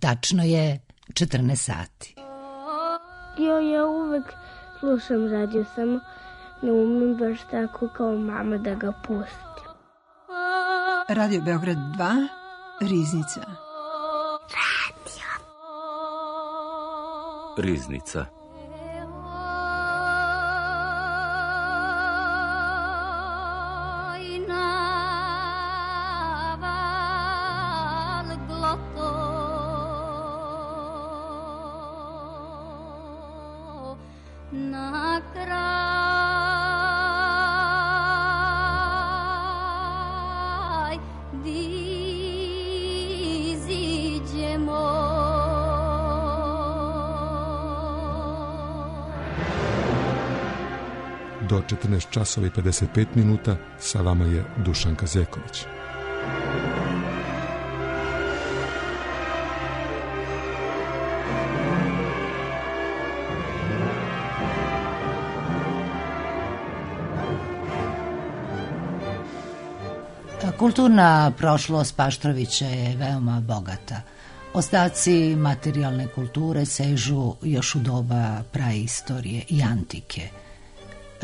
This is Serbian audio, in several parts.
Tačno je 14 sati. Ja uvek slušam radio, samo ne umem baš tako kao mama da ga pustim. Radio Beograd 2, Riznica. Riznica. Do 14 časova i 55 minuta sa vama je Dušanka Zeković. Kulturna prošlost Paštrovića je veoma bogata. Ostaci materijalne kulture sežu još u doba praistorije i antike.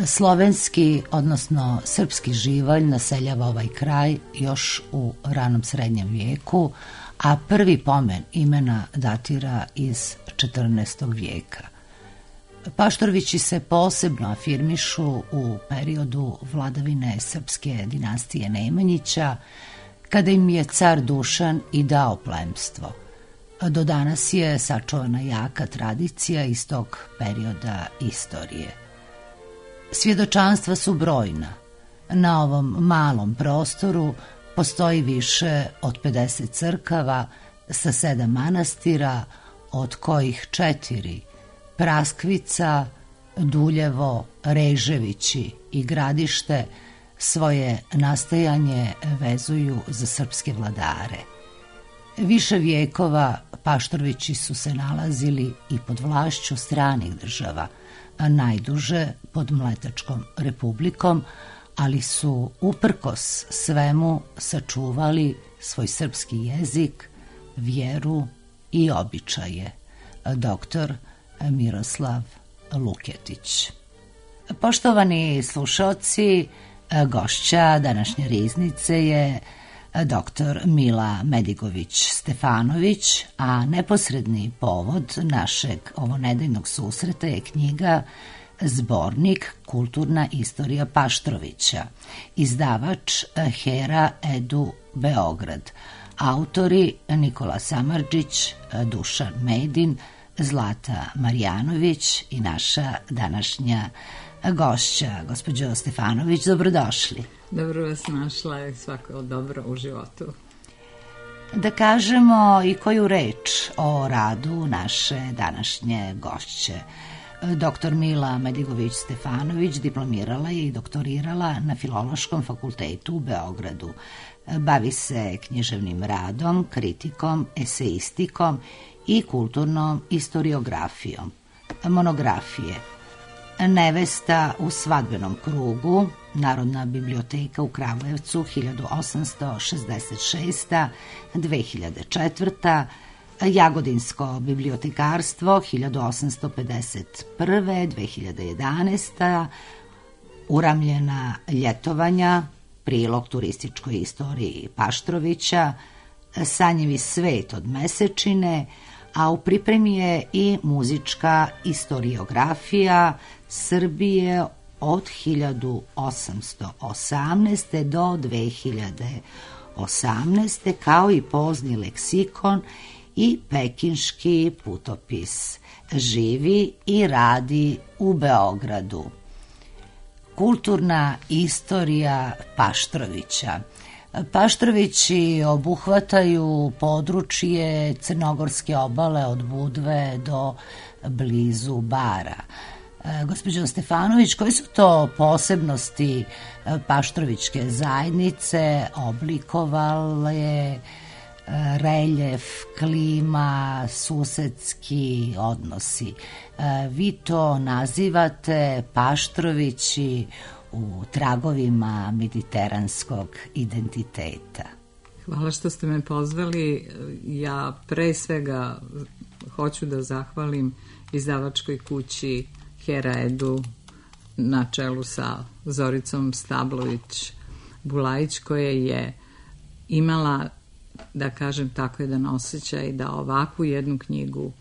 Slovenski, odnosno srpski živalj naseljava ovaj kraj još u ranom srednjem vijeku, a prvi pomen imena datira iz 14. vijeka. Paštorovići se posebno afirmišu u periodu vladavine srpske dinastije Nemanjića, kada im je car Dušan i dao plemstvo. Do danas je sačuvana jaka tradicija iz tog perioda istorije. Svjedočanstva su brojna. Na ovom malom prostoru postoji više od 50 crkava sa 7 manastira, od kojih 4 Praskvica, Duljevo, Reževići i Gradište svoje nastajanje vezuju za srpske vladare. Više vijekova Paštorovići su se nalazili i pod vlašću stranih država, a najduže pod Mletačkom republikom, ali su uprkos svemu sačuvali svoj srpski jezik, vjeru i običaje. Doktor Miroslav Luketić. Poštovani slušaoci, gošća današnje Riznice je dr. Mila Medigović-Stefanović, a neposredni povod našeg ovonedeljnog susreta je knjiga Zbornik Kulturna istorija Paštrovića, izdavač Hera Edu Beograd, autori Nikola Samardžić, Dušan Medin, Zlata Marjanović i naša današnja gošća, gospođo Stefanović, dobrodošli. Dobro vas našla, svako dobro u životu. Da kažemo i koju reč o radu naše današnje gošće. Dr. Mila Medigović-Stefanović diplomirala je i doktorirala na Filološkom fakultetu u Beogradu. Bavi se književnim radom, kritikom, eseistikom i kulturnom istoriografijom. Monografije: Nevesta u svadbenom krugu, Narodna biblioteka u Kragujevcu, 1866. 2004. Jagodinsko bibliotekarstvo, 1851. 2011. Uramljena ljetovanja, prilog turističkoj istoriji Paštrovića, Sanjevi svet od Mesečine, a u pripremi je i muzička istoriografija Srbije od 1818. do 2018. kao i pozni leksikon i pekinški putopis. Živi i radi u Beogradu. Kulturna istorija Paštrovića. Paštrovići obuhvataju područje Crnogorske obale od Budve do blizu Bara. Gospođo Stefanović, koje su to posebnosti paštrovićke zajednice oblikovale reljef, klima, susedski odnosi? Vi to nazivate Paštrovići u tragovima mediteranskog identiteta. Hvala što ste me pozvali. Ja pre svega hoću da zahvalim izdavačkoj kući Hera Edu na čelu sa Zoricom Stablović-Bulajić, koja je imala, da kažem tako, jedan osjećaj da ovakvu jednu knjigu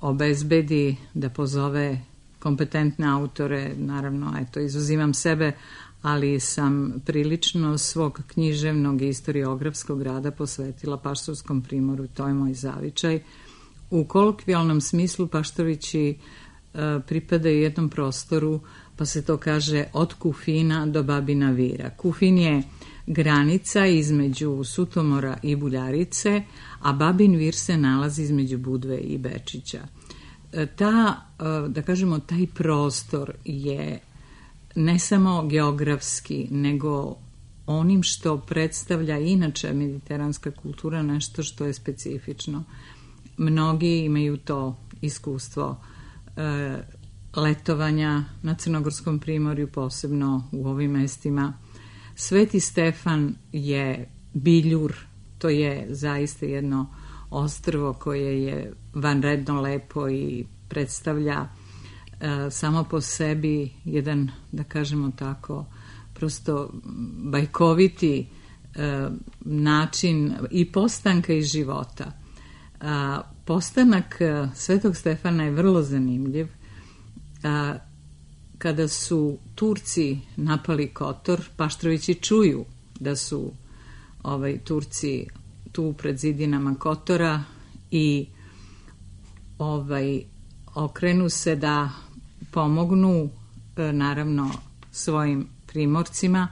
obezbedi, da pozove kompetentne autore. Naravno, eto, izuzimam sebe, ali sam prilično svog književnog i istoriografskog rada posvetila Paštorskom primoru, to je moj zavičaj. U kolokvijalnom smislu Paštovići pripadaju jednom prostoru, pa se to kaže od Kufina do Babina Vira. Kufin je granica između Sutomora i Buljarice, a Babin Vir se nalazi između Budve i Bečića. Da kažemo, taj prostor je ne samo geografski, nego onim što predstavlja inače mediteranska kultura, nešto što je specifično. Mnogi imaju to iskustvo letovanja na Crnogorskom primorju, posebno u ovim mestima. Sveti Stefan je biljur, to je zaista jedno ostrvo koje je vanredno lepo i predstavlja samo po sebi jedan, da kažemo tako, prosto bajkoviti način i postanka i života. Postanak Svetog Stefana je vrlo zanimljiv. Kada su Turci napali Kotor, Paštrovići čuju da su Turci tu pred zidinama Kotora i okrenu se da pomognu naravno svojim primorcima,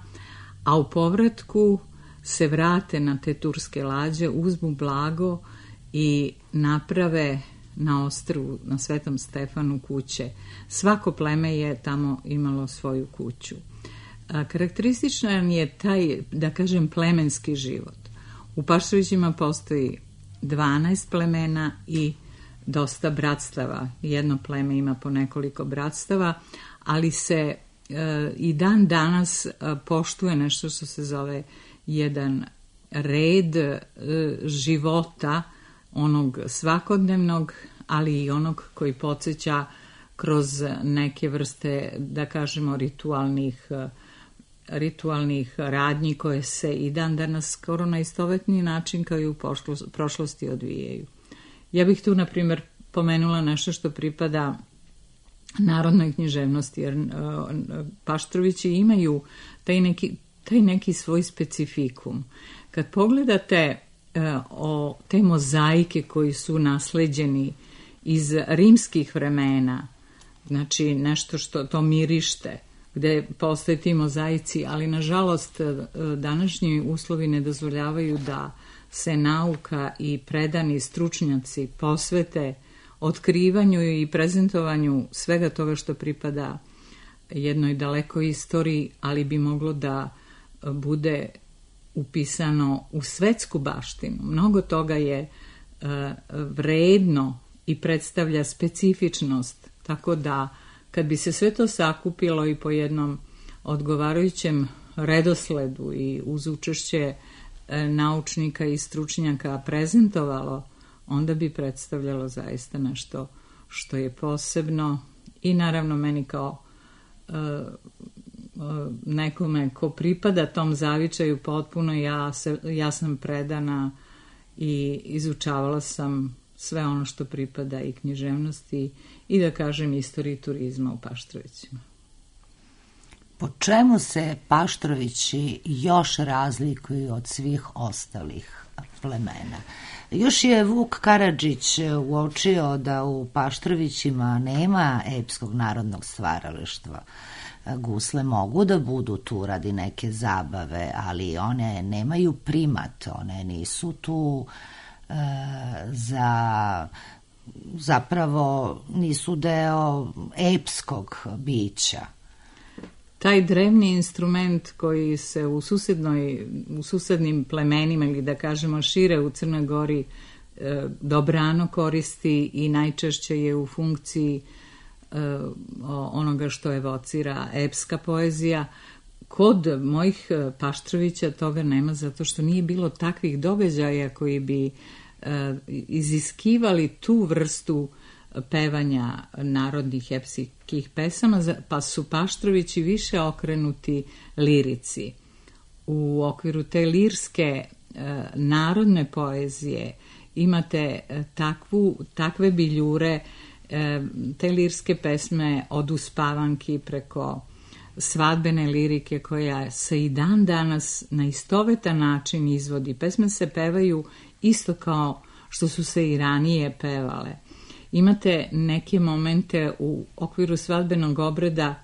a u povratku se vrate na te turske lađe, uzmu blago i naprave na ostrvu, na Svetom Stefanu, kuće. Svako pleme je tamo imalo svoju kuću. Karakterističan je taj, da kažem, plemenski život. U Paštovićima postoji 12 plemena i dosta bratstava. Jedno pleme ima po nekoliko bratstava, ali se i dan danas poštuje nešto što se zove jedan red života, onog svakodnevnog, ali i onog koji podsjeća kroz neke vrste, da kažemo, ritualnih radnji koje se i dan danas skoro na istovetni način kao i u prošlosti odvijaju. Ja bih tu, na primjer, pomenula nešto što pripada narodnoj književnosti, jer Paštrovići imaju taj neki svoj specifikum. Kad pogledate te mozaike koji su nasleđeni iz rimskih vremena, znači nešto što to mirište, gde postoje ti mozaici, ali nažalost današnji uslovi ne dozvoljavaju da se nauka i predani stručnjaci posvete otkrivanju i prezentovanju svega toga što pripada jednoj dalekoj istoriji, ali bi moglo da bude upisano u svetsku baštinu. Mnogo toga je vredno i predstavlja specifičnost, tako da kad bi se sve to sakupilo i po jednom odgovarajućem redosledu i uz učešće naučnika i stručnjaka prezentovalo, onda bi predstavljalo zaista nešto što je posebno i naravno meni kao nekome ko pripada tom zavičaju potpuno, ja sam predana i izučavala sam sve ono što pripada i književnosti i, da kažem, istoriji turizma u Paštrovićima. Po čemu se Paštrovići još razlikuju od svih ostalih plemena? Još je Vuk Karadžić uočio da u Paštrovićima nema epskog narodnog stvaralaštva. Gusle mogu da budu tu radi neke zabave, ali one nemaju primat, one nisu tu zapravo nisu deo epskog bića. Taj drevni instrument koji se u susednim plemenima ili, da kažemo, šire u Crnoj Gori dobrano koristi i najčešće je u funkciji onoga što evocira epska poezija, kod mojih Paštrovića toga nema, zato što nije bilo takvih događaja koji bi iziskivali tu vrstu pevanja narodnih epskih pesama, pa su Paštrovići više okrenuti lirici. U okviru te lirske narodne poezije imate takve biljure, te lirske pesme od uspavanki preko svadbene lirike koja se i dan danas na istovetan način izvodi. Pesme se pevaju isto kao što su se i ranije pevale. Imate neke momente u okviru svadbenog obreda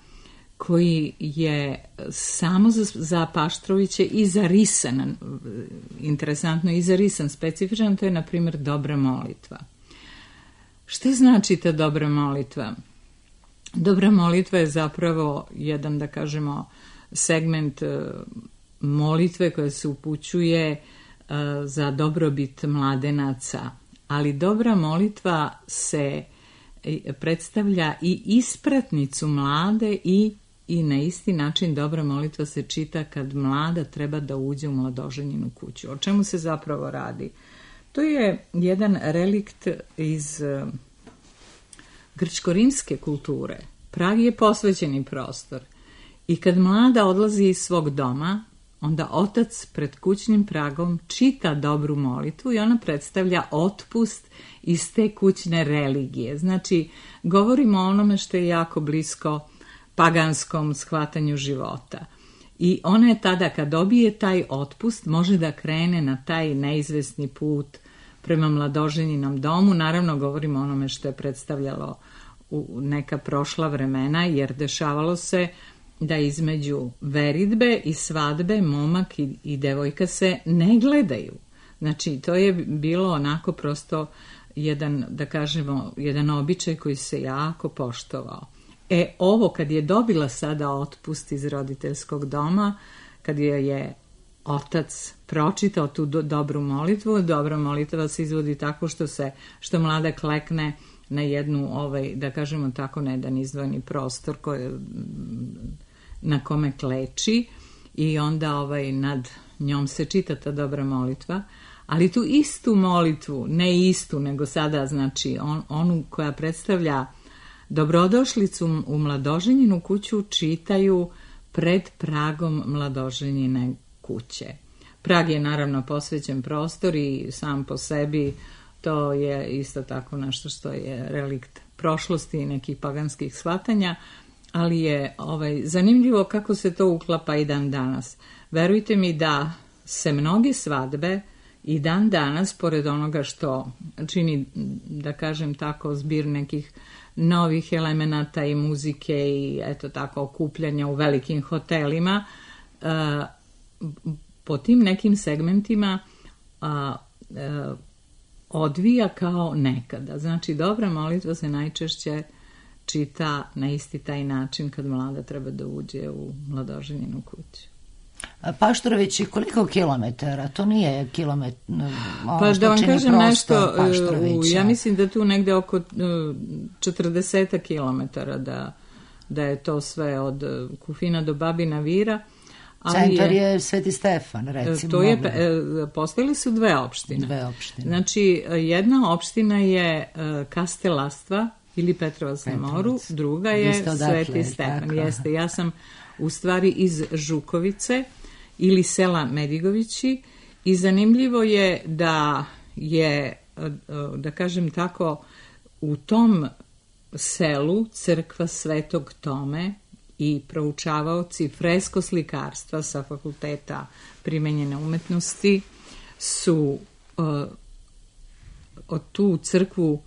koji je samo za Paštroviće i zarisan, interesantno i zarisan, specifičan, to je na primjer dobra molitva. Što znači ta dobra molitva? Dobra molitva je zapravo jedan, da kažemo, segment molitve koja se upućuje za dobrobit mladenaca, ali dobra molitva se predstavlja i ispratnicu mlade i na isti način dobra molitva se čita kad mlada treba da uđe u mladoženjinu kuću. O čemu se zapravo radi? To je jedan relikt iz grčko-rimske kulture. Prag je posvećeni prostor i kad mlada odlazi iz svog doma, onda otac pred kućnim pragom čita dobru molitvu i ona predstavlja otpust iz te kućne religije. Znači, govorimo o onome što je jako blisko paganskom shvatanju života. I ona je tada, kad dobije taj otpust, može da krene na taj neizvesni put prema mladoženinom domu. Naravno, govorimo o onome što je predstavljalo u neka prošla vremena, jer dešavalo se da između veridbe i svadbe momak i devojka se ne gledaju. Znači, to je bilo onako prosto jedan, da kažemo, jedan običaj koji se jako poštovao. Ovo kad je dobila sada otpust iz roditeljskog doma, kad je otac pročitao tu dobru molitvu, dobra molitva se izvodi tako što mlada klekne na jednu, da kažemo tako, na jedan izdvojeni prostor na kome kleči i onda nad njom se čita ta dobra molitva, ali tu istu molitvu, ne istu, nego sada znači onu koja predstavlja dobrodošlicu u mladoženjinu kuću, čitaju pred pragom mladoženjine kuće. Prag je naravno posvećen prostor i sam po sebi to je isto tako nešto što je relikt prošlosti i nekih paganskih shvatanja, ali je zanimljivo kako se to uklapa i dan danas. Verujte mi da se mnoge svadbe i dan danas, pored onoga što čini, da kažem tako, zbir nekih novih elemenata i muzike i eto tako okupljanja u velikim hotelima, po tim nekim segmentima odvija kao nekada. Znači, dobra molitva se najčešće čita na isti taj način kad mlada treba da uđe u mladoženjinu kuću. Paštrovići, koliko kilometara? To nije kilometar. Pa da vam kažem nešto, ja mislim da tu negde oko 40 kilometara da je to sve od Kufina do Babina Vira. Centar je Sveti Stefan, recimo. Postojili su dve opštine. Znači, jedna opština je Kastelastva ili Petrovac na moru, druga je Sveti Stefan. Jeste, ja sam u stvari iz Žukovice ili sela Medigovići i zanimljivo je da je, da kažem tako, u tom selu crkva Svetog Tome i proučavaoci freskoslikarstva sa fakulteta primenjene umetnosti su od tu crkvu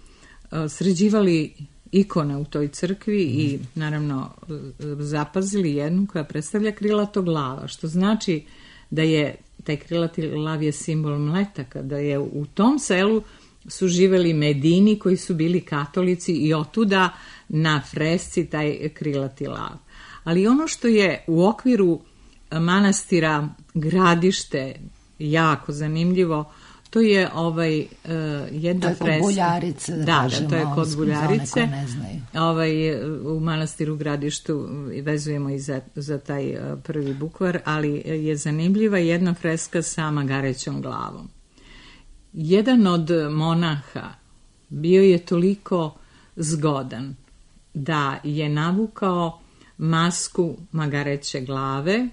sređivali ikone u toj crkvi i naravno zapazili jednu koja predstavlja krilatog lava, što znači da je taj krilati lav je simbol mletaka, da je u tom selu su živeli Medini koji su bili katolici i otuda na fresci taj krilati lav. Ali ono što je u okviru manastira Gradište jako zanimljivo, To je jedna freska. To je kod Buljarice, da kažemo. Da, to je kod Buljarice. Ne znaju. U manastiru Gradištu vezujemo i za taj prvi bukvar, ali je zanimljiva jedna freska sa magarećom glavom. Jedan od monaha bio je toliko zgodan da je navukao masku magareće glave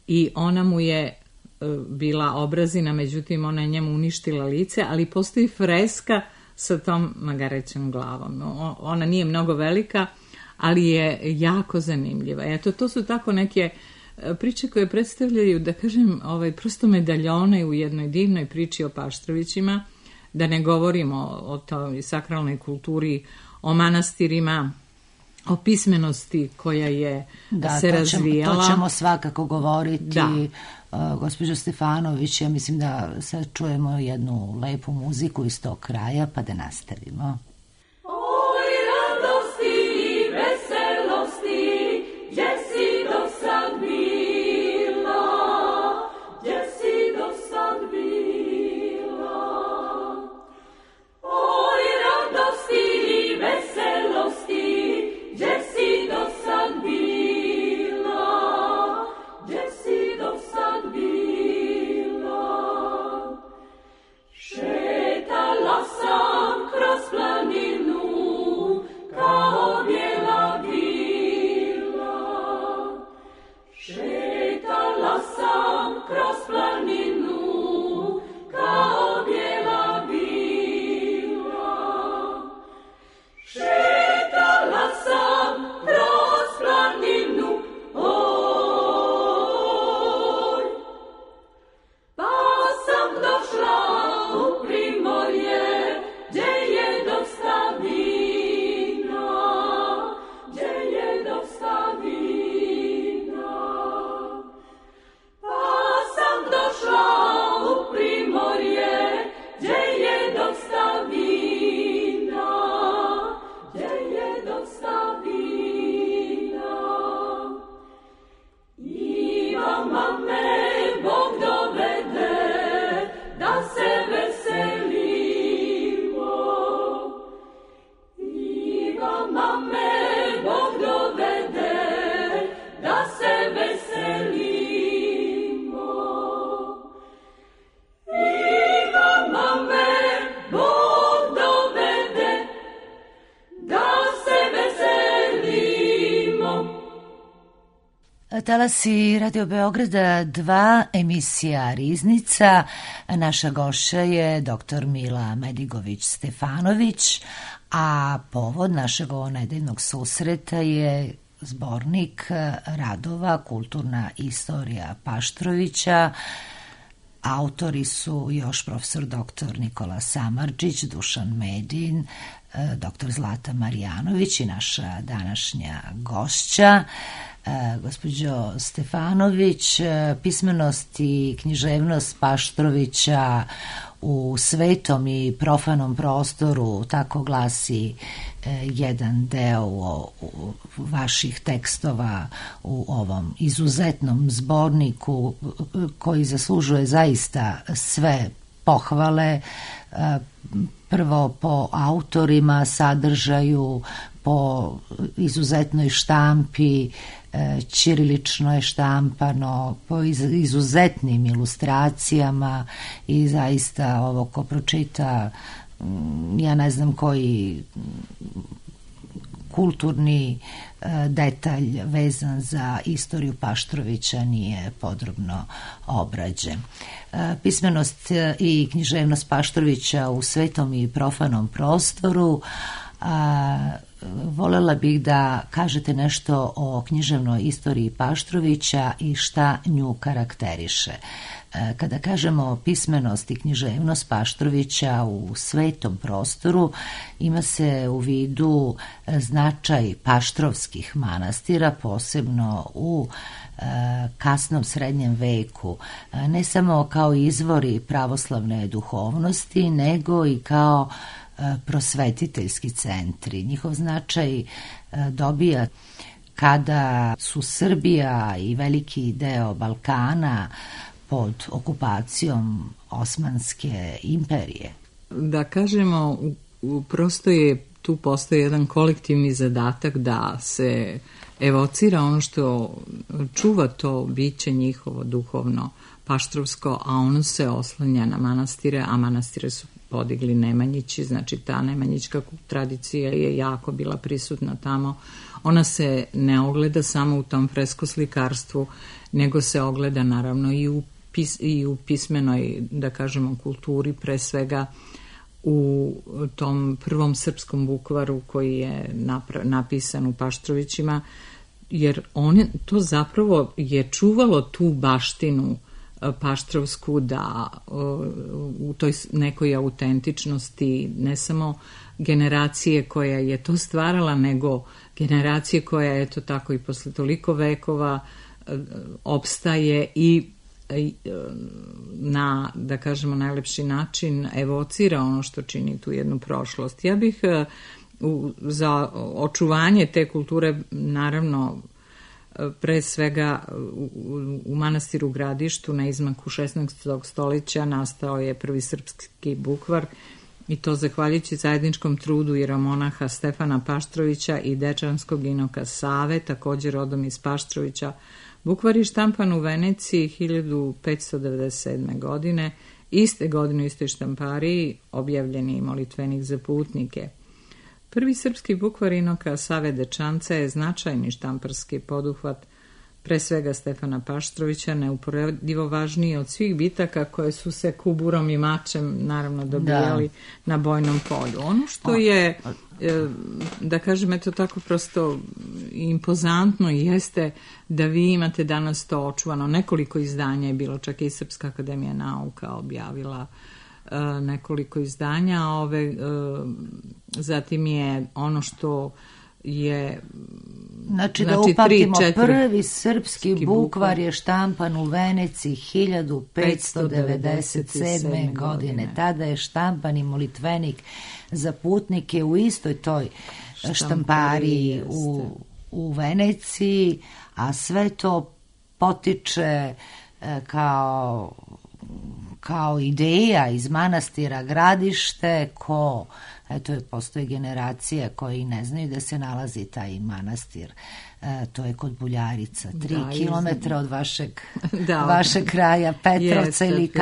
i ona mu je bila obrazina, međutim ona je njemu uništila lice, ali postoji freska sa tom magarećom glavom. Ona nije mnogo velika, ali je jako zanimljiva. Eto, to su tako neke priče koje predstavljaju, da kažem, prosto medaljone u jednoj divnoj priči o Paštrovićima, da ne govorimo o toj sakralnoj kulturi, o manastirima, o pismenosti koja je se razvijala. To ćemo svakako govoriti. Da. Gospođo Stefanović, ja mislim da sad čujemo jednu lepu muziku iz tog kraja, pa da nastavimo. Talasi Radio Beograda 2, emisija Riznica. Naša gošća je dr. Mila Medigović-Stefanović, a povod našeg nedeljnog susreta je zbornik radova Kulturna istorija Paštrovića. Autori su još profesor dr. Nikola Samardžić, Dušan Medin, dr. Zlata Marjanović i naša današnja gošća. Gospođo Stefanović, pismenost i književnost Paštrovića u svetom i profanom prostoru, tako glasi jedan deo vaših tekstova u ovom izuzetnom zborniku koji zaslužuje zaista sve pohvale, prvo po autorima, sadržaju, po izuzetnoj štampi, ćirilično je štampano, po izuzetnim ilustracijama i zaista ovo ko pročita, ja ne znam koji kulturni detalj vezan za istoriju Paštrovića nije podrobno obrađen. Pismenost i književnost Paštrovića u svetom i profanom prostoru. Volela bih da kažete nešto o književnoj istoriji Paštrovića i šta nju karakteriše. Kada kažemo pismenost i književnost Paštrovića u svetom prostoru, ima se u vidu značaj paštrovskih manastira, posebno u kasnom srednjem veku, ne samo kao izvori pravoslavne duhovnosti, nego i kao prosvetiteljski centri. Njihov značaj dobija kada su Srbija i veliki deo Balkana pod okupacijom Osmanske imperije. Da kažemo, prosto je tu postoji jedan kolektivni zadatak da se evocira ono što čuva to biće njihovo duhovno paštrovsko, a ono se oslanja na manastire, a manastire su podigli Nemanjići, znači ta nemanjićka tradicija je jako bila prisutna tamo. Ona se ne ogleda samo u tom freskoslikarstvu, nego se ogleda naravno i u pismenoj, da kažemo, kulturi, pre svega u tom prvom srpskom bukvaru koji je napisan u Paštrovićima, jer to zapravo je čuvalo tu baštinu paštrovsku, da u toj nekoj autentičnosti ne samo generacije koja je to stvarala, nego generacije koja je to tako i posle toliko vekova opstaje i na, da kažemo, najlepši način evocira ono što čini tu jednu prošlost. Ja bih za očuvanje te kulture, naravno, pre svega u manastiru Gradištu na izmaku 16. stoljeća nastao je prvi srpski bukvar, i to zahvaljujući zajedničkom trudu jeromonaha Stefana Paštrovića i dečanskog inoka Save, također rodom iz Paštrovića. Bukvar je štampan u Veneciji 1597. godine. Iste godine u istoj štampariji objavljen je molitvenik za putnike. Prvi srpski bukvar inoka Save Dečanca je značajni štamparski poduhvat pre svega Stefana Paštrovića, neuporedivo važniji od svih bitaka koje su se kuburom i mačem naravno dobijali na bojnom polju. Ono što je, da kažem, eto tako prosto impozantno jeste da vi imate danas to očuvano. Nekoliko izdanja je bilo, čak i Srpska akademija nauka objavila nekoliko izdanja. Zatim je ono što je... Znači da upamtimo, prvi srpski bukvar je štampan u Veneciji 1597. godine. Tada je štampan i molitvenik za putnike u istoj toj štampariji u Veneciji, a sve to potiče kao ideja iz manastira Gradište, eto, postoje generacije koji ne znaju da se nalazi taj manastir. To je kod Buljarica, 3 kilometra od vašeg kraja, Petrovca ili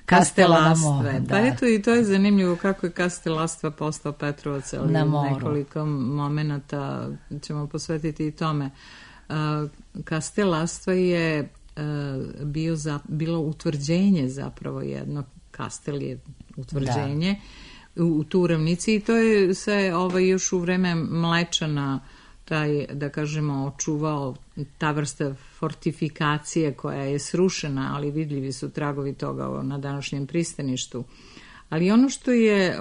Kastelastve. Pa eto, i to je zanimljivo kako je Kastelastva postao Petrovac, ali nekoliko momenata ćemo posvetiti i tome. Kastelastva je bilo utvrđenje, zapravo jedno, kastel je utvrđenje u Turavnici, i to je se još u vreme Mlečana taj, da kažemo, očuvao ta vrsta fortifikacije koja je srušena, ali vidljivi su tragovi toga na današnjem pristaništu. Ali ono što je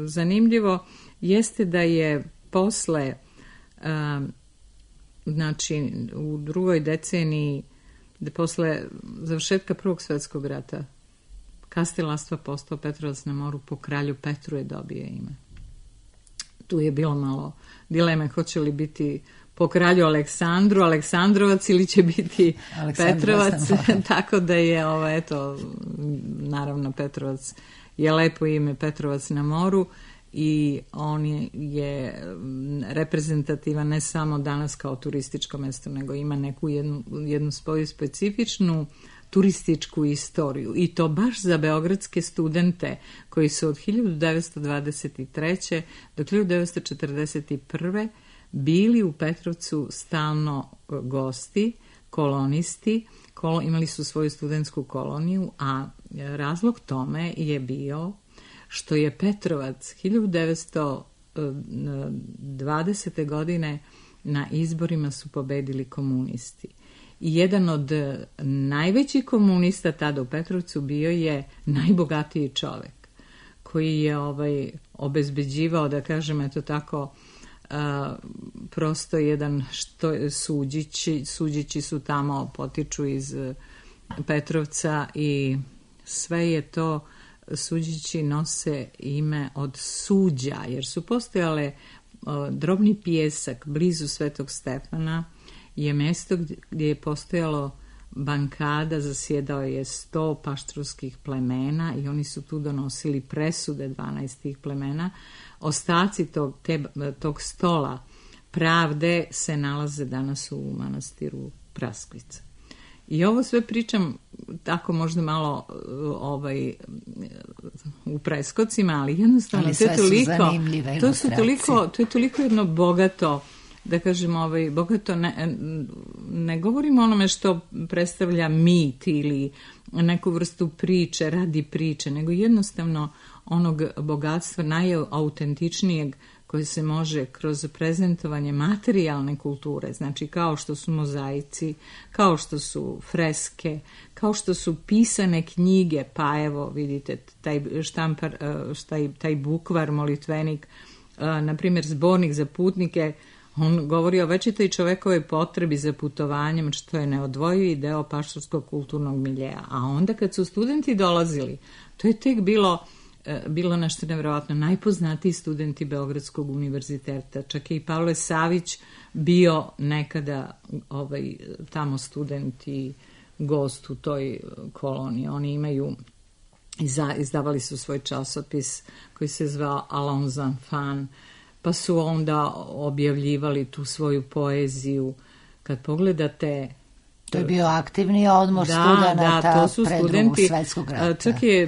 zanimljivo jeste da je posle, znači u drugoj deceniji, posle završetka Prvog svjetskog rata, Kastelastva postao Petrovac na moru, po kralju Petru je dobio ime. Tu je bilo malo dileme, hoće li biti po kralju Aleksandru Aleksandrovac ili će biti Petrovac, tako da je naravno Petrovac je lepo ime, Petrovac na moru, i on je reprezentativan ne samo danas kao turističko mesto, nego ima neku jednu svoju specifičnu turističku istoriju, i to baš za beogradske studente koji su od 1923. do 1941. bili u Petrovcu stalno gosti, kolonisti, imali su svoju studentsku koloniju, a razlog tome je bio što je Petrovac 1920. godine na izborima su pobedili komunisti. I jedan od najvećih komunista tada u Petrovcu bio je najbogatiji čovek koji je obezbeđivao, da kažem, eto tako, prosto jedan Suđići su tamo, potiču iz Petrovca, i sve je to, Suđići nose ime od suđa, jer su postojale drobni pijesak blizu Svetog Stefana, je mesto gdje je postojalo bankada zasjedao je 100 paštrovskih plemena i oni su tu donosili presude 12 tih plemena. Ostaci tog stola pravde se nalaze danas u manastiru Praskvica. I ovo sve pričam tako možda malo u preskocima, ali jednostavno ali sve su zanimljive ilustracije. To je toliko jedno bogato, da kažem, bogato, ne govorimo o onome što predstavlja mit ili neku vrstu priče radi priče, nego jednostavno onog bogatstva najautentičnijeg koje se može kroz prezentovanje materijalne kulture, znači kao što su mozaici, kao što su freske, kao što su pisane knjige, pa evo vidite taj štampar, taj bukvar, molitvenik, na primjer zbornik za putnike, on govori o večitoj čovekovoj potrebi za putovanjem, što je neodvojivi deo paštorskog kulturnog miljeja. A onda kad su studenti dolazili, to je tek bilo nešto nevjerovatno. Najpoznatiji studenti Beogradskog univerziteta, čak je i Pavle Savić bio nekada tamo student i gost u toj koloniji. Oni imaju, izdavali su svoj časopis koji se zvao Allons enfants, pa su onda objavljivali tu svoju poeziju. Kad pogledate... To je bio aktivni odmor studenata pred Drugog svjetskog rata. Čak je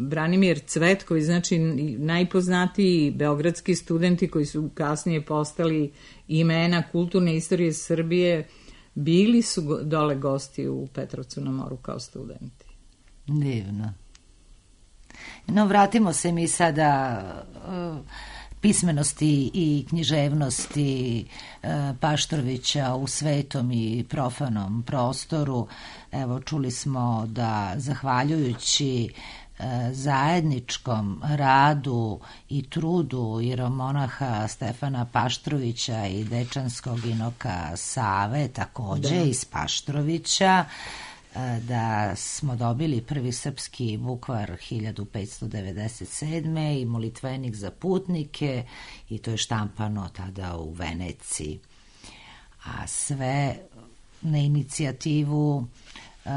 Branimir Cvetković, znači najpoznatiji beogradski studenti koji su kasnije postali imena kulturne istorije Srbije, bili su dole gosti u Petrovcu na moru kao studenti. Divno. No, vratimo se mi sada... pismenosti i književnosti Paštrovića u svetom i profanom prostoru. Evo, čuli smo da zahvaljujući zajedničkom radu i trudu ieromonaha Stefana Paštrovića i dečanskog inoka Save, također iz Paštrovića, da smo dobili prvi srpski bukvar 1597. i molitvenik za putnike, i to je štampano tada u Veneciji. A sve na inicijativu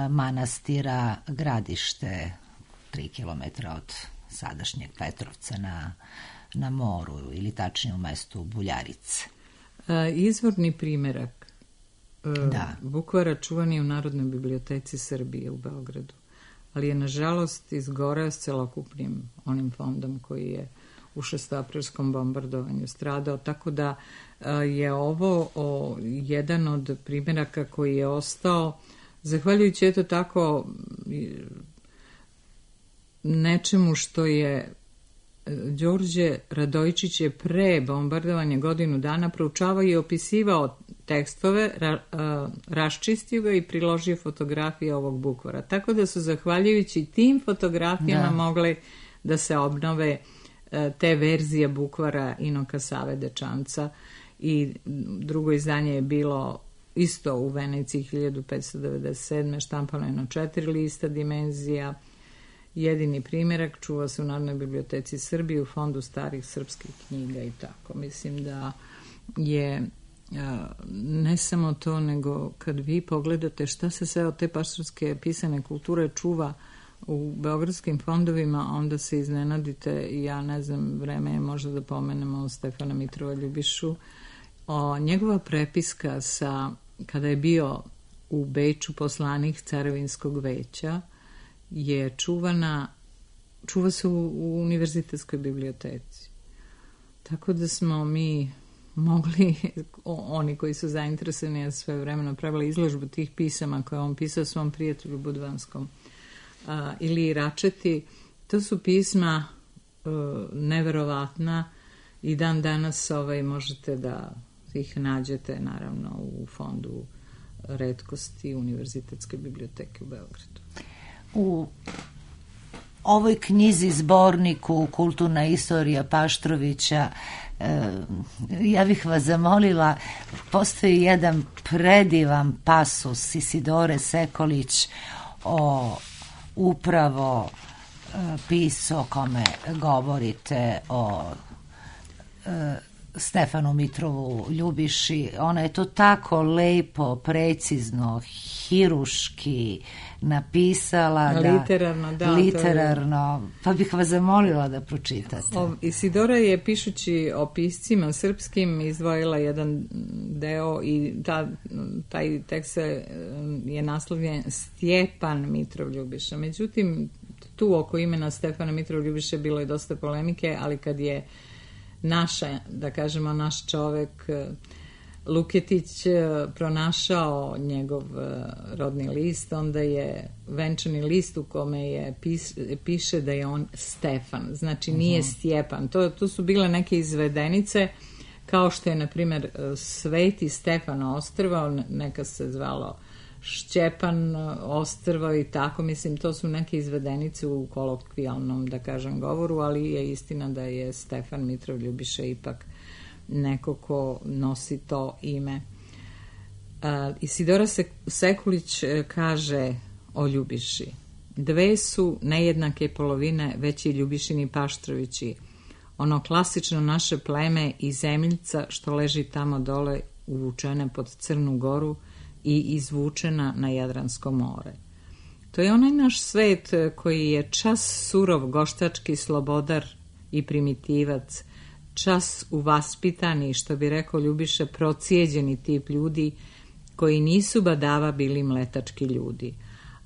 manastira Gradište, 3 km od sadašnjeg Petrovca na moru, ili tačnije u mestu Buljarice. Izvorni primerak bukvara čuvan je u Narodnoj biblioteci Srbije u Beogradu, ali je nažalost izgoreo s celokupnim onim fondom koji je u šestoaprilskom bombardovanju stradao, tako da je ovo jedan od primjeraka koji je ostao zahvaljujući eto tako nečemu što je Đorđe Radojičić je pre bombardovanja godinu dana proučavao i opisivao tekstove, raščistio ga i priložio fotografije ovog bukvara. Tako da su zahvaljujući tim fotografijama mogle da se obnove te verzije bukvara Inoka Save Dečanca, i drugo izdanje je bilo isto u Veneciji 1597. štampano je na 4 lista dimenzija. Jedini primjerak čuva se u Narodnoj biblioteci Srbije u fondu starih srpskih knjiga i tako. Mislim da je ne samo to, nego kad vi pogledate šta se sve od te paštorske pisane kulture čuva u beogradskim fondovima, onda se iznenadite. Ja ne znam, vreme je možda da pomenemo Stefana Mitrova Ljubišu. Njegova prepiska kada je bio u Beču poslanik Carevinskog veća je čuva se u univerzitetskoj biblioteci. Tako da smo mi mogli, oni koji su zainteresovani, ja sve vremeno pravila izložbu tih pisama koje on pisao svom prijatelju Budvanskom ili Račeti. To su pisma neverovatna i dan danas možete da ih nađete naravno u fondu retkosti Univerzitetske biblioteke u Beogradu. U ovoj knjizi, zborniku Kulturna istorija Paštrovića, ja bih vas zamolila, postoji jedan predivan pasus Isidore Sekolić o upravo pisu o kome govorite, o Stefanu Mitrovu Ljubiši. Ona je to tako lepo, precizno, hiruški napisala. Literarno, pa bih vas zamolila da pročitate. Isidora je, pišući o piscima srpskim, izdvojila jedan deo i taj tekst je naslovljen Stjepan Mitrov Ljubiša. Međutim, tu oko imena Stefana Mitrov Ljubiše bilo je dosta polemike, ali kad je naš čovek Luketić pronašao njegov rodni list, onda je venčani list u kome piše da je on Stefan, znači nije Stjepan. To su bile neke izvedenice, kao što je, na primjer, Sveti Stefan Ostrvo, neka se zvalo Šćepan Ostrvo i tako, mislim, to su neke izvedenice u kolokvijalnom, da kažem, govoru, ali je istina da je Stefan Mitrov Ljubiša ipak neko ko nosi to ime. Isidora Sekulić kaže o Ljubiši: dve su nejednake polovine veći Ljubišini Paštrovići, ono klasično naše pleme i zemljica što leži tamo dole uvučene pod Crnu Goru i izvučena na Jadransko more. To je onaj naš svet koji je čas surov goštački slobodar i primitivac, čas uvaspitani, što bi rekao Ljubiša, procijeđeni tip ljudi koji nisu badava bili mletački ljudi.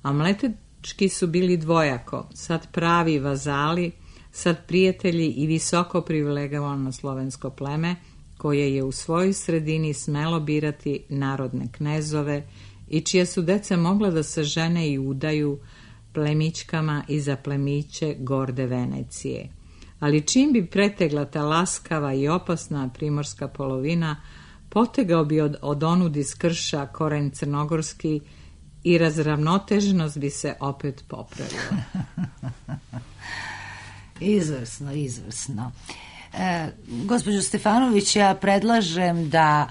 A mletački su bili dvojako, sad pravi vazali, sad prijatelji i visoko privilegovano slovensko pleme, koje je u svojoj sredini smelo birati narodne knezove i čija su deca mogla da se žene i udaju plemićkama i za plemiće gorde Venecije. Ali čim bi pretegla ta laskava i opasna primorska polovina, potegao bi od onudi skrša koren crnogorski i razravnoteženost bi se opet popravila. Izvrsno. Gospođo Stefanović, ja predlažem da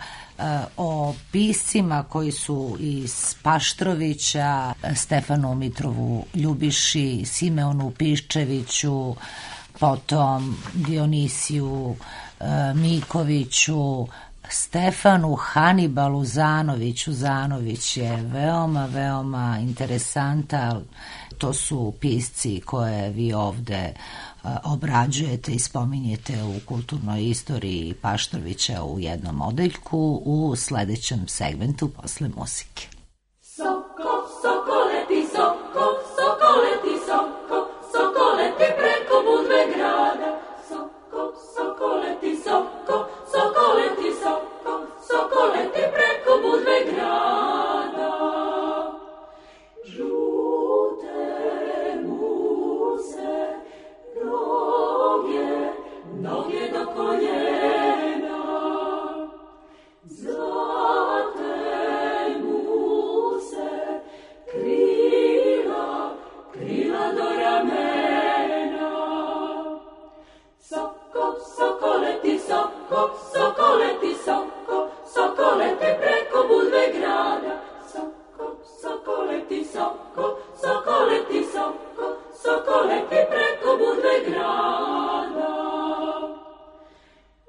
o piscima koji su iz Paštrovića, Stefanu Mitrovu Ljubiši, Simeonu Piščeviću, potom Dionisiju Mikoviću, Stefanu Hanibalu Zanoviću. Zanović je veoma interesantan. To su pisci koje vi ovde obrađujete i spominjete u kulturnoj istoriji Paštrovića u jednom odeljku u sledećem segmentu posle muzike. Soko, soko leti, soko, soko leti, soko, soko leti preko Budve grada. Soko, soko leti, soko, soko leti, soko, soko leti preko Budve grada. Žute mu se noge do koljena, zlate mu se krila do ramena. Soko, soko leti, soko, soko leti, soko, soko leti preko Budve grada. Soko, soko leti, soko, soko leti, soko, soko leti preko Budve grada.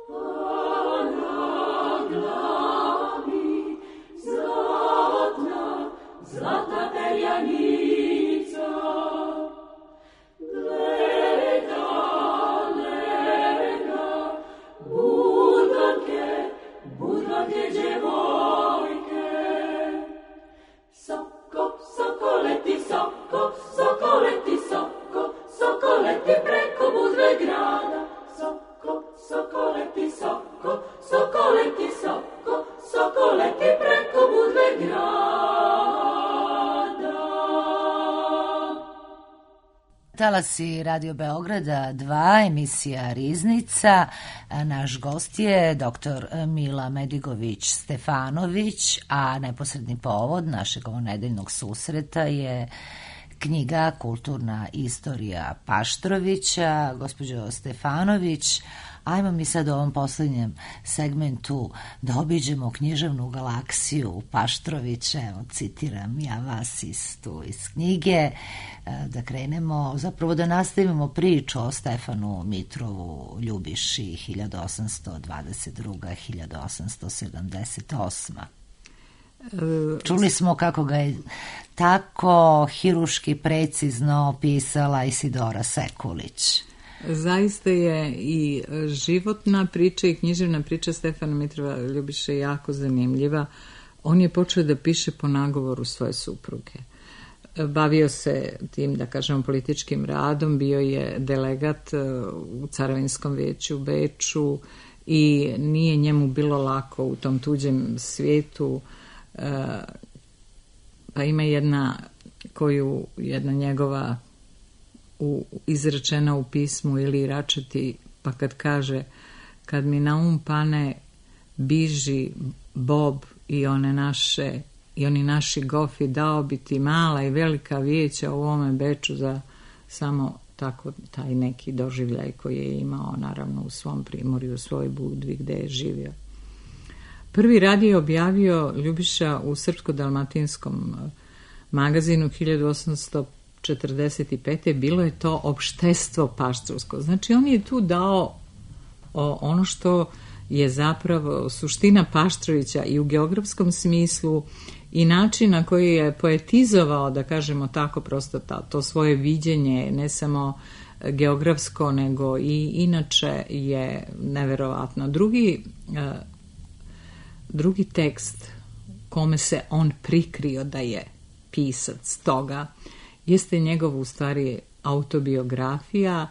A na glavi zlatna perjanica, gleda budvanke djevojke. Soko, soko leti, soko, soko leti, soko, soko leti preko Budve grada. Soko, soko leti, soko, soko leti, soko, soko leti preko Budve grada. Talasi Radio Beograda 2, emisija Riznica. Naš gost je dr. Mila Medigović-Stefanović, a neposredni povod našeg ovonedeljnog susreta je knjiga Kulturna istorija Paštrovića. Gospođo Stefanović, ajmo mi sad u ovom poslednjem segmentu da obiđemo književnu galaksiju Paštrovića. Evo, citiram ja vas iz knjige. Da krenemo, zapravo da nastavimo priču o Stefanu Mitrovu Ljubiši 1822-1878. Čuli smo kako ga je tako hiruški precizno opisala Isidora Sekulić. Zaista je i životna priča i književna priča Stefana Mitrova Ljubiše jako zanimljiva. On je počeo da piše po nagovoru svoje supruge. Bavio se tim, da kažemo, političkim radom, bio je delegat u Caravinskom vijeću u Beču i nije njemu bilo lako u tom tuđem svijetu. Pa ima jedna njegova izrečena u pismu ili Račeti, pa kad kaže: kad mi na um pane biži Bob i oni naši gofi, dao bi ti mala i velika vijeća u ovome Beču za samo tako taj neki doživljaj koji je imao naravno u svom primorju, u svojoj Budvi gde je živio. Prvi radio je objavio Ljubiša u Srpsko-dalmatinskom magazinu 1845. Bilo je to Opštestvo paštrovsko. Znači on je tu dao ono što je zapravo suština Paštrovića i u geografskom smislu i način na koji je poetizovao, da kažemo tako, prosto to svoje viđenje, ne samo geografsko, nego i inače je neverovatno. Drugi tekst kome se on prikrio da je pisac toga jeste njegov u stvari autobiografija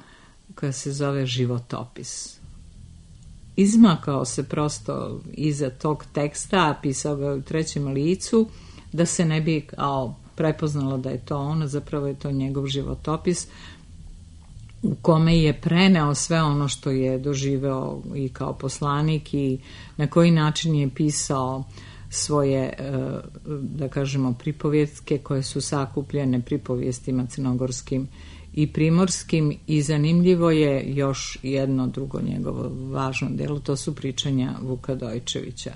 koja se zove Životopis. Izmakao se prosto iza tog teksta, pisao ga u trećem licu, da se ne bi prepoznalo da je to on, zapravo je to njegov životopis u kome je preneo sve ono što je doživeo i kao poslanik i na koji način je pisao svoje, da kažemo, pripovjetke koje su sakupljene pripovjestima crnogorskim i primorskim, i zanimljivo je još jedno drugo njegovo važno delo, to su pričanja Vuka Dojčevića.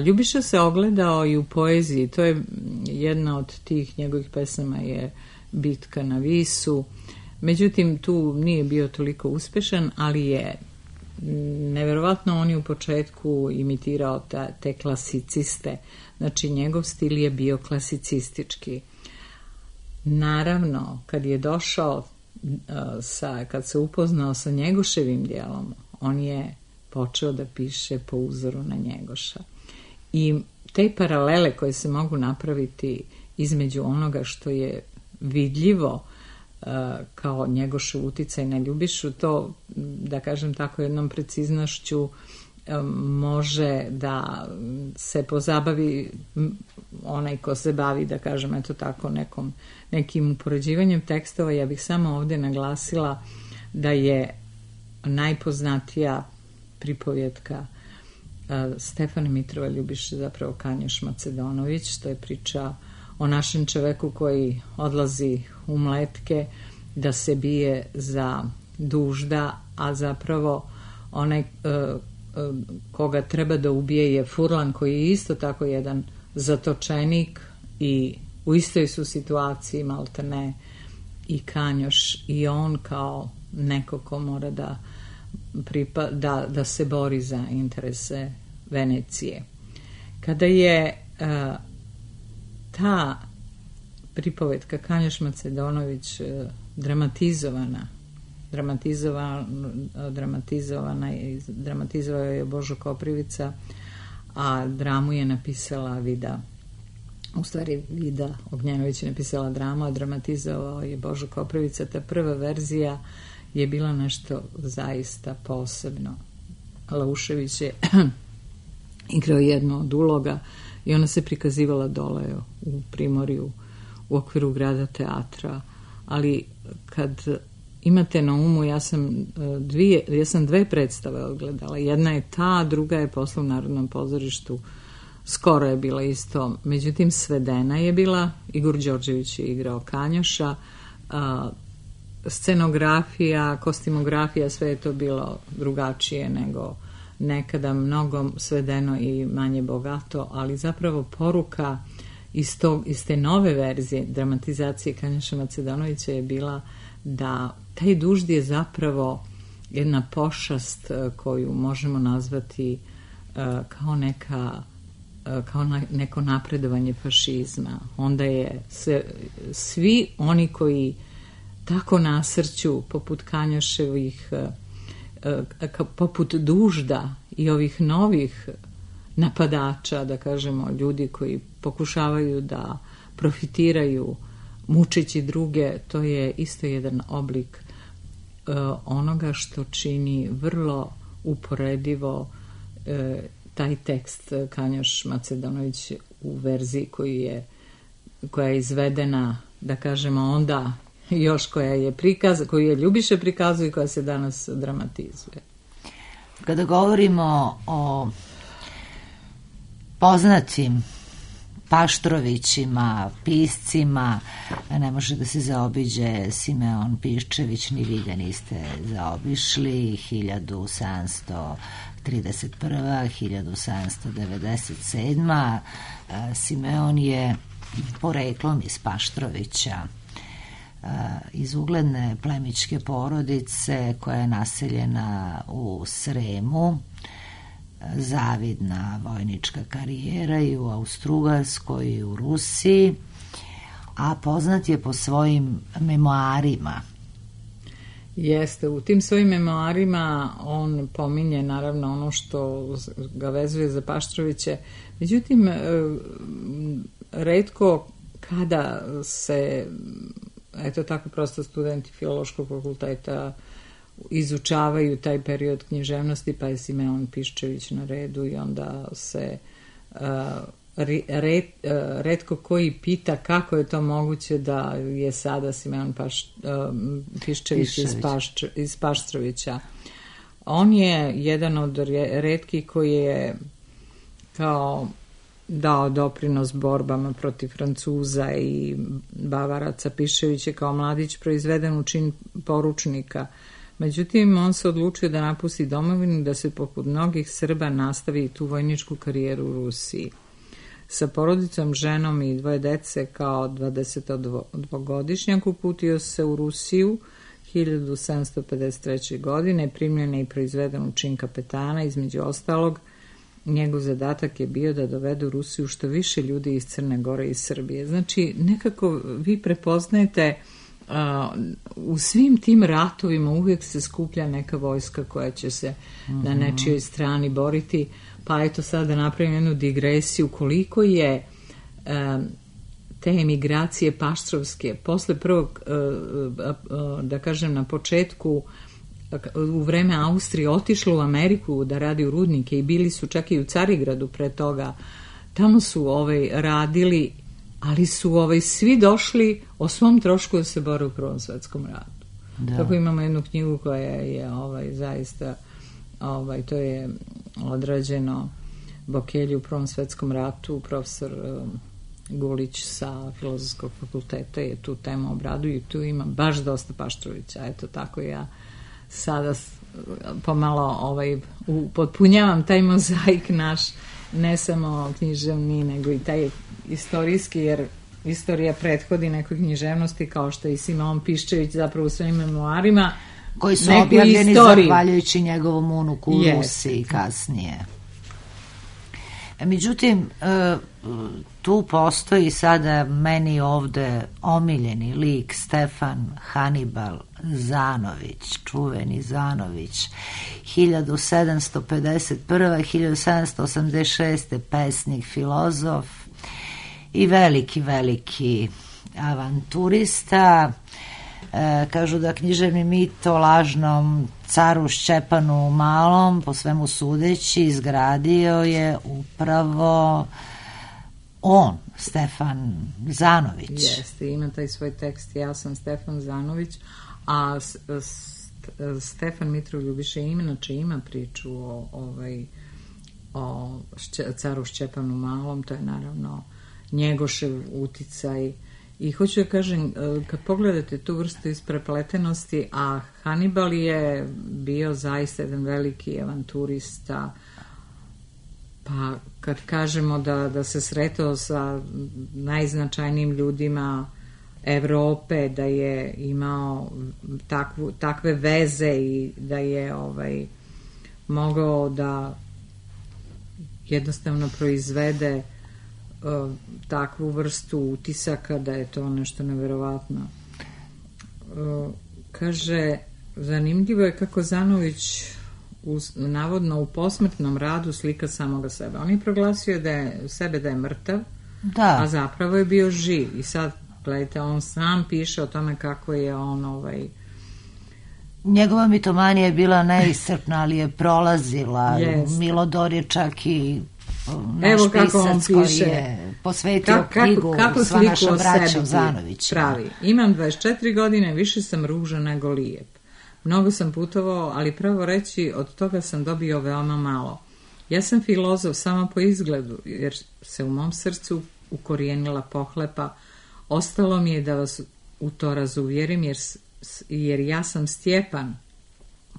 Ljubiša se ogledao i u poeziji, to je jedna od tih njegovih pesama je Bitka na Visu, međutim tu nije bio toliko uspešan, ali je neverovatno on je u početku imitirao te klasiciste, znači njegov stil je bio klasicistički. Naravno, kad je došao, kad se upoznao sa Njegoševim dijelom, on je počeo da piše po uzoru na Njegoša. I te paralele koje se mogu napraviti između onoga što je vidljivo kao Njegošev uticaj na Ljubišu, to, da kažem tako jednom preciznošću, može da se pozabavi onaj ko se bavi, da kažem, eto tako, nekim upoređivanjem tekstova. Ja bih samo ovdje naglasila da je najpoznatija pripovjetka Stefana Mitrova Ljubiše zapravo Kanjoš Macedonović. To je priča o našem čoveku koji odlazi u Mletke da se bije za dužda, a zapravo onaj koga treba da ubije je Furlan, koji je isto tako jedan zatočenik i u istoj su situaciji maltene i Kanjoš, i on kao neko ko mora da se bori za interese Venecije. Kada je ta pripovetka Kanjoš Macedonović dramatizovao je Božo Koprivica, a dramu je napisala Vida Ognjanović je napisala dramu, a dramatizovao je Božo Koprivica. Ta prva verzija je bila nešto zaista posebno. Laušević je igrao jednu od uloga i ona se prikazivala dole u Primorju u okviru Grada teatra, ali kad imate na umu, ja sam dve predstave odgledala. Jedna je ta, druga je posle u Narodnom pozorištu. Skoro je bila isto. Međutim, svedena je bila. Igor Đorđević je igrao Kanjoša. Scenografija, kostimografija, sve je to bilo drugačije nego nekada, mnogo svedeno i manje bogato, ali zapravo poruka iz te nove verzije dramatizacije Kanjoša Macedonovića je bila da taj dužd je zapravo jedna pošast koju možemo nazvati kao neka kao neko napredovanje fašizma. Onda je svi oni koji tako nasrću, poput Kanjaševih, poput Dužda i ovih novih napadača, da kažemo, ljudi koji pokušavaju da profitiraju mučeći druge, to je isto jedan oblik onoga što čini vrlo uporedivo taj tekst Kanjaš Macedonović u verziji koja je izvedena, da kažemo, onda još koju je Ljubiša prikazuje i koja se danas dramatizuje. Kada govorimo o poznatim Paštrovićima, piscima, ne može da se zaobiđe Simeon Piščević, ni vi ga niste zaobišli, 1731. 1797. Simeon je poreklom iz Paštrovića, iz ugledne plemićke porodice koja je naseljena u Sremu, zavidna vojnička karijera i u Austrougarskoj i u Rusiji, a poznat je po svojim memoarima. Jeste, u tim svojim memoarima on pominje naravno ono što ga vezuje za Paštroviće, međutim retko kada se, eto tako prosto, studenti Filološkog fakulteta izučavaju taj period književnosti, pa je Simeon Piščević na redu i onda se retko koji pita kako je to moguće da je sada Simeon Piščević iz Paštrovića. On je jedan od retkih koji je kao dao doprinos borbama protiv Francuza i Bavaraca. Piščević je kao mladić proizveden u čin poručnika. Međutim, on se odlučio da napusti domovinu i da se poput mnogih Srba nastavi tu vojničku karijeru u Rusiji. Sa porodicom, ženom i 2 dece kao 22-godišnjak uputio se u Rusiju 1753. godine, primljen je i proizveden u čin kapetana. Između ostalog, njegov zadatak je bio da dovede u Rusiju što više ljudi iz Crne Gore i Srbije. Znači, nekako vi prepoznajete u svim tim ratovima uvijek se skuplja neka vojska koja će se na nečijoj strani boriti, pa eto sad da napravim jednu digresiju koliko je te emigracije paštrovske posle prvog, da kažem na početku, u vreme Austrije otišlo u Ameriku da radi u rudnike i bili su čak i u Carigradu pre toga, tamo su radili, ali su svi došli o svom trošku da se bore u Prvom svetskom ratu. Da. Tako imamo jednu knjigu koja je zaista, to je odrađeno Bokelji u Prvom svetskom ratu, profesor Gulić sa Filozofskog fakulteta je tu temu obraduju i tu ima baš dosta Paštrovića. Eto tako ja sada pomalo potpunjavam taj mozaik naš, ne samo književni, nego i taj istorijski, jer istorija prethodi nekoj književnosti, kao što je i Simeon Piščević zapravo u svojim memoarima, koji su objavljeni zahvaljujući njegovom unuku u Rusiji kasnije. Međutim, tu postoji sada meni ovde omiljeni lik Stefan Hanibal Zanović, čuveni Zanović, 1751. 1786. pesnik, filozof i veliki avanturista. Kažu da književni mit o lažnom caru Šćepanu Malom, po svemu sudeći, izgradio je upravo on, Stefan Zanović. Jeste, ima taj svoj tekst, ja sam Stefan Zanović, a Stefan Mitrov Ljubiša inače ima priču o caru Šćepanu Malom, to je naravno Njegošev uticaj. I hoću da kažem, kad pogledate tu vrstu isprepletenosti, a Hanibal je bio zaista jedan veliki avanturista, pa kad kažemo da se sretao sa najznačajnijim ljudima Evrope, da je imao takve veze i da je mogao da jednostavno proizvede takvu vrstu utisaka da je to nešto neverovatno. Kaže, zanimljivo je kako Zanović navodno u posmrtnom radu slika samoga sebe. On je proglasio sebe da je mrtav, da, a zapravo je bio živ. I sad, gledajte, on sam piše o tome kako je on njegova mitomanija je bila neiscrpna, ali je prolazila. Milodor je čak i naš pisac koji je posvetio knjigu Sva naša braća Zanovića. Pravi. Imam 24 godine, više sam ružan nego lijep. Mnogo sam putovao, ali pravo reći, od toga sam dobio veoma malo. Ja sam filozof samo po izgledu, jer se u mom srcu ukorijenila pohlepa. Ostalo mi je da vas u to razuvjerim, jer ja sam Stjepan,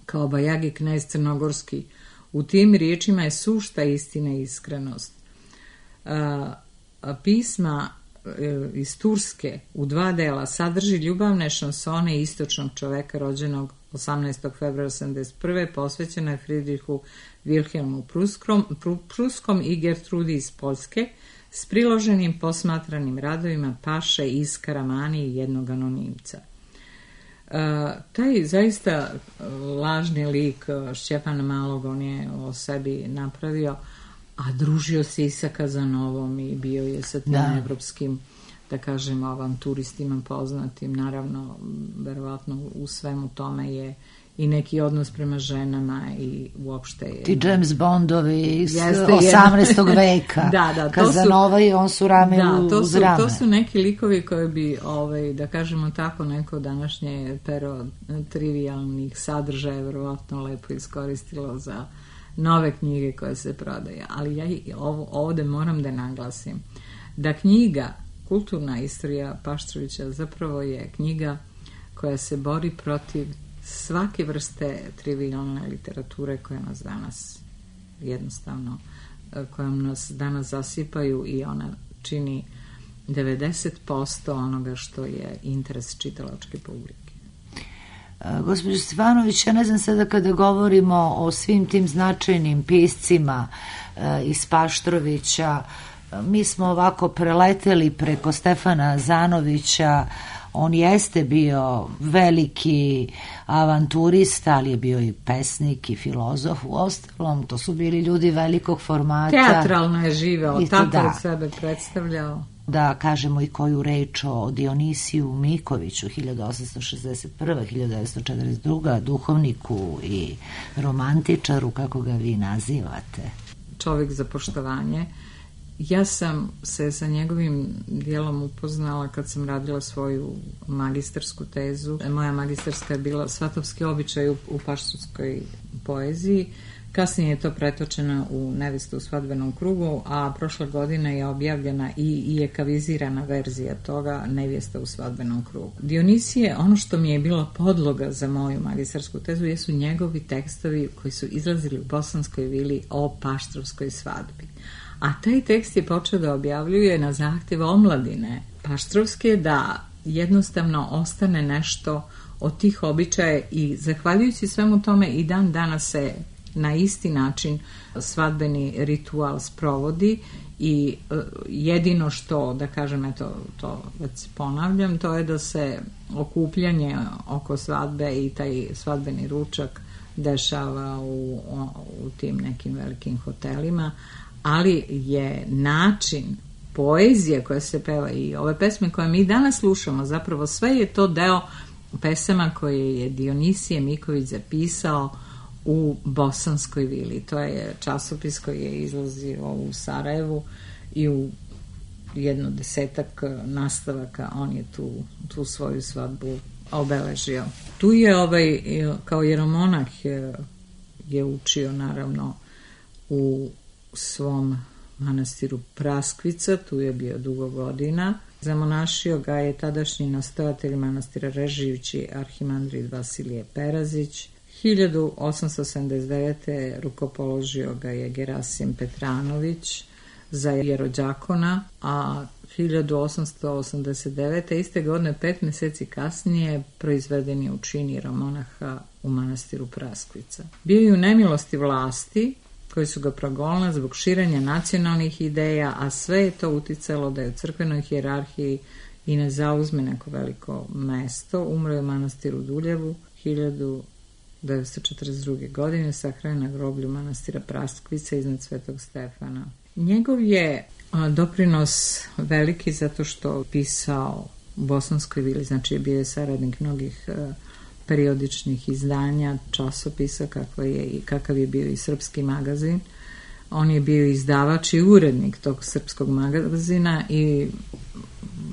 kao bajagi knez crnogorski. U tim riječima je sušta istina i iskrenost. Pisma iz Turske u 2 dela sadrži ljubavne šansone istočnog čoveka rođenog 18. februara 1981. posvećena je Friedrichu Wilhelmu Pruskom i Gertrudi iz Poljske s priloženim posmatranim radovima Paše, Iskaramani i jednog anonimca. Taj zaista lažni lik Šćepana Malog on je o sebi napravio, a družio se i sa Kazanovom i bio je sa tim evropskim, da kažem, avanturistima poznatim. Naravno, verovatno u svemu tome je i neki odnos prema ženama i uopšte je... Ti James Bondovi iz 18. veka. Da, Kazanova i on su rame uz rame. To su neki likovi koji bi, da kažemo tako, neko današnje pero trivialnih sadržaja verovatno lepo iskoristilo za nove knjige koje se prodaju. Ali ja ovdje moram da naglasim da knjiga Kulturna istorija Paštrovića zapravo je knjiga koja se bori protiv svake vrste trivialne literature koja nas danas jednostavno, kojom nas danas zasipaju, i ona čini 90% onoga što je interes čitalačke publike. Gospođo Stefanović, ja ne znam sada kada govorimo o svim tim značajnim piscima iz Paštrovića, mi smo ovako preleteli preko Stefana Zanovića. On jeste bio veliki avanturista, ali je bio i pesnik i filozof. Uostalom, to su bili ljudi velikog formata. Teatralno je živeo, tako od sebe predstavljao. Da kažemo i koju reč o Dionisiju Mikoviću, 1861. 1942. duhovniku i romantičaru, kako ga vi nazivate. Čovjek za poštovanje. Ja sam se sa njegovim dijelom upoznala kad sam radila svoju magistarsku tezu. Moja magistarska je bila Svatovski običaj u paštrovskoj poeziji. Kasnije je to pretočeno u Nevestu u svadbenom krugu, a prošle godine je objavljena i ekavizirana verzija toga, Nevjesta u svadbenom krugu. Dionisije, ono što mi je bila podloga za moju magistarsku tezu, jesu njegovi tekstovi koji su izlazili u Bosanskoj vili o paštrovskoj svadbi. A taj tekst je počeo da objavljuje na zahtjev omladine paštrovske, da jednostavno ostane nešto od tih običaja, i zahvaljujući svemu tome i dan danas se na isti način svadbeni ritual sprovodi. I jedino što, da kažem, eto, to već ponavljam, to je da se okupljanje oko svadbe i taj svadbeni ručak dešava u tim nekim velikim hotelima, ali je način poezije koja se peva i ove pesme koje mi danas slušamo, zapravo sve je to deo pesama koje je Dionisije Miković zapisao u Bosanskoj vili. To je časopis koji je izlazio u Sarajevu i u 10 nastavaka on je tu svoju svadbu obeležio. Tu je kao jeromonah je učio naravno u svom manastiru Praskvica, tu je bio dugo godina. Zamonašio ga je tadašnji nastojatelj manastira Režijući arhimandrit Vasilije Perazić. 1879. rukopoložio ga je Gerasim Petranović za jerođakona, a 1889. iste godine, 5 mjeseci kasnije, proizveden je u čin jeromonaha u manastiru Praskvica. Bio je u nemilosti vlasti, koji su ga progonili zbog širenja nacionalnih ideja, a sve je to uticalo da je u crkvenoj hijerarhiji i ne zauzme neko veliko mesto. Umro je u manastiru Duljevu 1942. godine, sahranjen na groblju manastira Praskvica iznad Svetog Stefana. Njegov je doprinos veliki zato što pisao u Bosanskoj vili, znači bio je saradnik mnogih periodičnih izdanja, časopisa, kakav je bio i Srpski magazin. On je bio izdavač i urednik tog Srpskog magazina i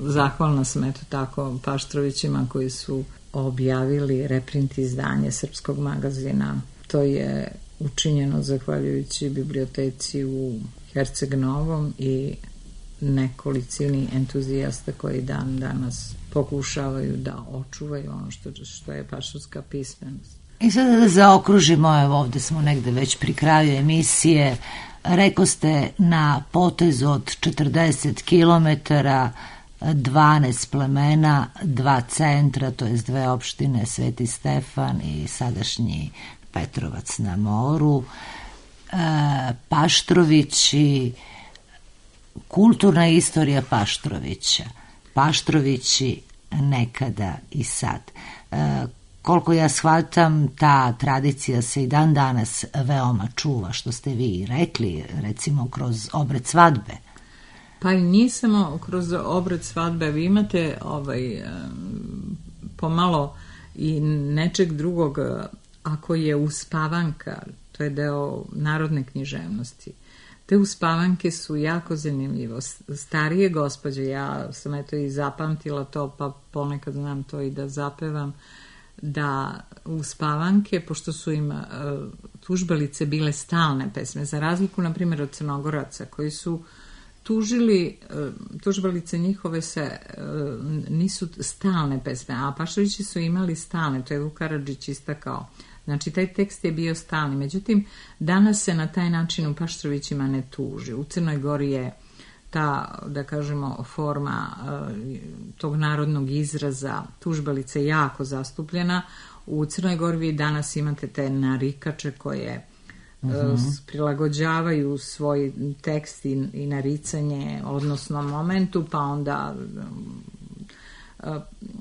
zahvalna sam eto tako Paštrovićima koji su objavili reprint izdanje Srpskog magazina. To je učinjeno zahvaljujući biblioteci u Herceg Novom i nekolicini entuzijasta koji dan danas pokušavaju da očuvaju ono što je paštovska pismenost. I sada da zaokružimo, evo ovde smo negde već pri kraju emisije, rekoste na potezu od 40 kilometara 12 plemena, 2 centra, to je 2 opštine, Sveti Stefan i sadašnji Petrovac na moru, Paštrovići, kulturna istorija Paštrovića, Paštrovići nekada i sad. Koliko ja shvatam, ta tradicija se i dan danas veoma čuva, što ste vi rekli, recimo kroz obred svadbe. Pa i nije samo kroz obred svadbe, vi imate pomalo i nečeg drugog, ako je uspavanka, to je deo narodne književnosti. Te uspavanke su jako zanimljivo. Starije gospođe, ja sam eto i zapamtila to, pa ponekad znam to i da zapevam, da uspavanke, pošto su im tužbalice bile stalne pesme, za razliku, na primjer, od Crnogoraca, koji su tužili, tužbalice njihove nisu stalne pesme, a Paštovići su imali stalne, to je Vuk Karadžić istakao. Znači, taj tekst je bio stalni. Međutim, danas se na taj način u Paštrovićima ne tuži. U Crnoj Gori je ta, da kažemo, forma tog narodnog izraza tužbalice jako zastupljena. U Crnoj Gori vi danas imate te narikače koje prilagođavaju svoj tekst i naricanje odnosno momentu, pa onda,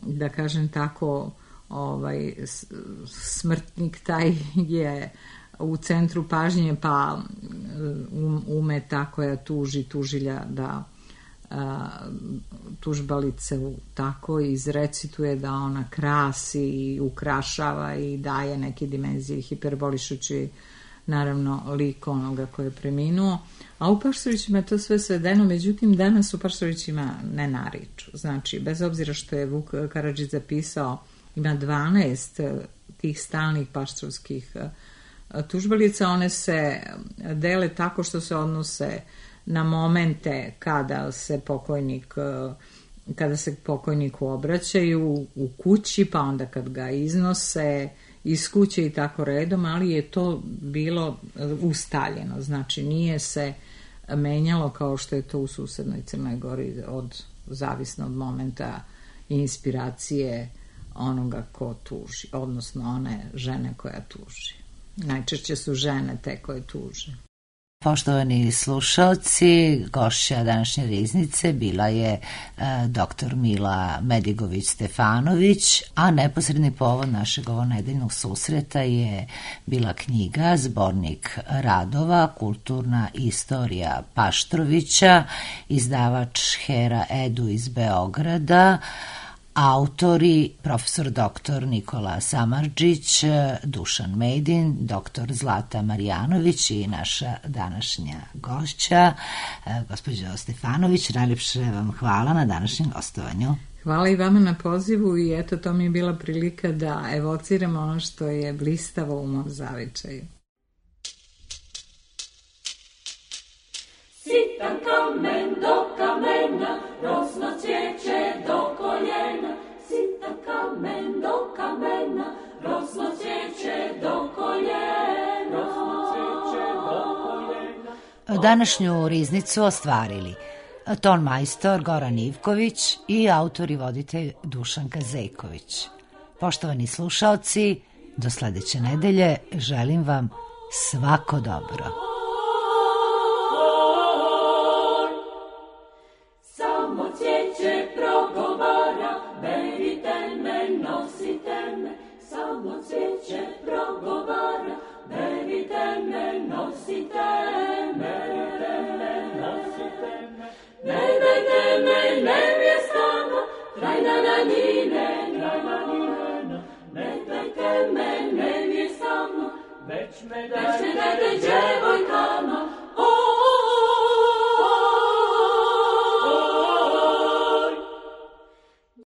da kažem tako, smrtnik taj je u centru pažnje, pa ume ta koja tuži tužilja da tužbalice tako izrecituje da ona krasi i ukrašava i daje neke dimenzije hiperbolišući naravno lik onoga koji je preminuo. A u Paštovićima je to sve svedeno, međutim danas u Paštovićima ne nariču. Znači, bez obzira što je Vuk Karadžić zapisao, ima 12 tih stalnih paštrovskih tužbalica, one se dele tako što se odnose na momente kada se pokojniku obraćaju u kući, pa onda kad ga iznose iz kuće i tako redom, ali je to bilo ustaljeno, znači nije se menjalo kao što je to u susednoj Crnoj Gori, zavisno od momenta i inspiracije onoga ko tuži, odnosno one žene koja tuži. Najčešće su žene te koje tuže. Poštovani slušalci, gošća današnje riznice bila je dr. Mila Medigović-Stefanović, a neposredni povod našeg ovonedeljnog susreta je bila knjiga, zbornik radova, kulturna istorija Paštrovića, izdavač Hera Edu iz Beograda, autori profesor dr. Nikola Samardžić, Dušan Mejdin, dr. Zlata Marjanović i naša današnja gošća, gospođa Stefanović. Najljepše vam hvala na današnjem gostovanju. Hvala i vama na pozivu i eto, to mi je bila prilika da evociramo ono što je blistavo u mom zavičaju. Sitan kamen do kamena, rosno cvijeće do koljena. Sitan kamen do kamena, rosno cvijeće do koljena. Današnju riznicu ostvarili ton majstor Goran Ivković i autor i voditelj Dušanka Zejković. Poštovani slušaoci, do sledeće nedelje želim vam svako dobro. Već me dajte djevojkama,